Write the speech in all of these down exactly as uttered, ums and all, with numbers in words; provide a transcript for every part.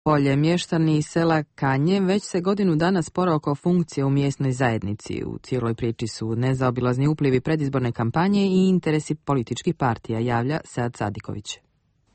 Polje, mještani iz sela Kanje već se godinu dana spore oko funkcije u mjesnoj zajednici. U cijeloj priči su nezaobilazni uplivi predizborne kampanje i interesi političkih partija, javlja Sead Sadiković.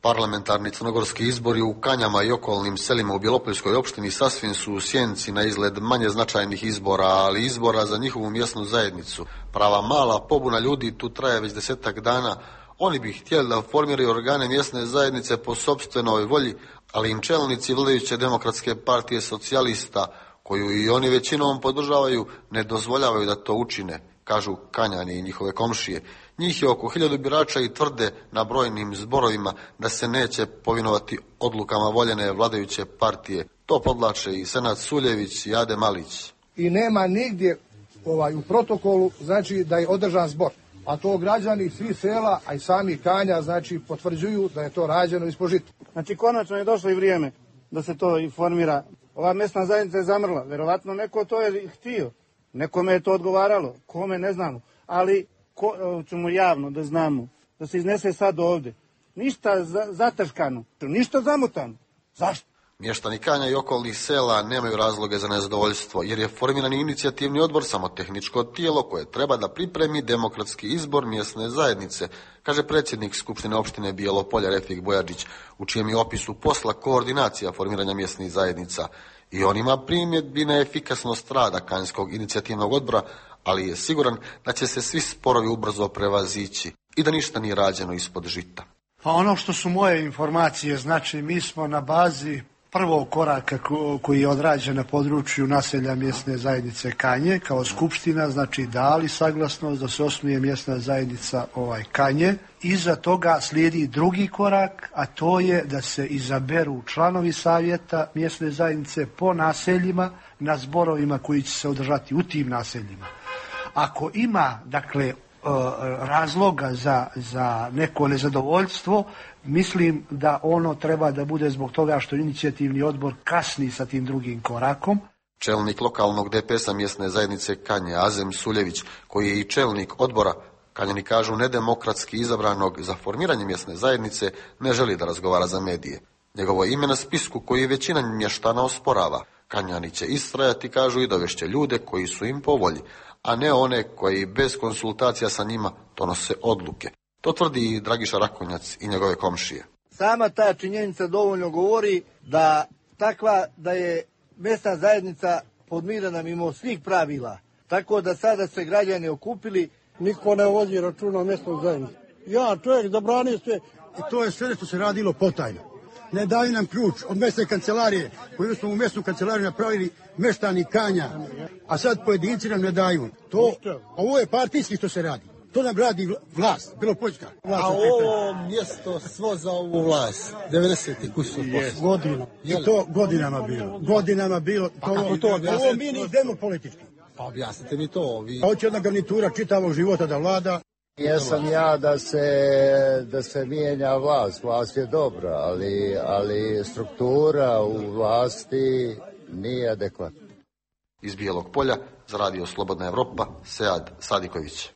Parlamentarni crnogorski izbori u Kanjama i okolnim selima u Bjelopoljskoj opštini sasvim su u sjenci na izgled manje značajnih izbora, ali izbora za njihovu mjesnu zajednicu. Prava mala pobuna ljudi tu traje već desetak dana. Oni bi htjeli da formiraju organe mjesne zajednice po sopstvenoj volji, ali im čelnici vladajuće demokratske partije socijalista, koju i oni većinom podržavaju, ne dozvoljavaju da to učine, kažu Kanjani i njihove komšije. Njih je oko hiljadu birača i tvrde na brojnim zborovima da se neće povinovati odlukama voljene vladajuće partije. To podlače i Senad Suljević i Ade Malić. I nema nigdje ovaj, u protokolu znači da je održan zbor. A to građani svih sela, a i sami Kanja, znači potvrđuju da je to rađeno ispod žita. Znači konačno je došlo i vrijeme da se to i formira. Ova mjesna zajednica je zamrla. Verovatno neko to je htio. Nekome je to odgovaralo. Kome ne znamo. Ali ko, ćemo javno da znamo. Da se iznese sad ovdje. Ništa za, zataškano. Ništa zamutano. Zašto? Mještani Kanja i okolnih sela nemaju razloge za nezadovoljstvo, jer je formirani inicijativni odbor samo tehničko tijelo koje treba da pripremi demokratski izbor mjesne zajednice, kaže predsjednik Skupštine opštine Bijelopolja Refik Bojadžić, u čijem je opisu posla koordinacija formiranja mjesnih zajednica. I on ima primjedbi na efikasnost rada Kanjskog inicijativnog odbora, ali je siguran da će se svi sporovi ubrzo prevazići i da ništa nije rađeno ispod žita. Pa ono što su moje informacije, znači mi smo na bazi prvog koraka koji je odrađen na području naselja mjesne zajednice Kanje kao skupština, znači dali saglasnost da se osnuje mjesna zajednica ovaj Kanje. Iza toga slijedi drugi korak, a to je da se izaberu članovi savjeta mjesne zajednice po naseljima na zborovima koji će se održati u tim naseljima. Ako ima, dakle, razloga za, za neko nezadovoljstvo, mislim da ono treba da bude zbog toga što inicijativni odbor kasni sa tim drugim korakom. Čelnik lokalnog D P S-a mjesne zajednice Kanje, Azem Suljević, koji je i čelnik odbora, Kanjani kažu nedemokratski izabranog za formiranje mjesne zajednice, ne želi da razgovara za medije. Njegovo ime na spisku koji većina mještana osporava. Kanjani će istrajati, kažu, i dovešće ljude koji su im po volji, a ne one koji bez konsultacija sa njima donose odluke. To tvrdi i Dragiša Rakonjac i njegove komšije. Sama ta činjenica dovoljno govori da takva da je mjesna zajednica podmirena mimo svih pravila. Tako da sada se građani okupili. Niko ne vodi računa o mjesnoj zajednici. Ja, čovjek zabranio sve. I to je sve što se radilo potajno. Ne daju nam ključ od mjesne kancelarije, koju smo u mjesnu kancelariju napravili mještani Kanja, a sad pojedinci nam ne daju. To, ovo je partijski što se radi. To nam radi vlast, Bjelopoljska. A ovo mjesto svo za ovu vlast, devedeset kusur godina. I to godinama bilo. Godinama bilo. Pa kako to objasnite? Ovo mi ne idemo politički. Pa objasnite mi to. Vi... Hoće jedna garnitura čitavog života da vlada. Jesam ja da se, da se mijenja vlast, vlast je dobra, ali, ali struktura u vlasti nije adekvatna. Iz Bijelog Polja za radio Slobodna Evropa, Sead Sadiković.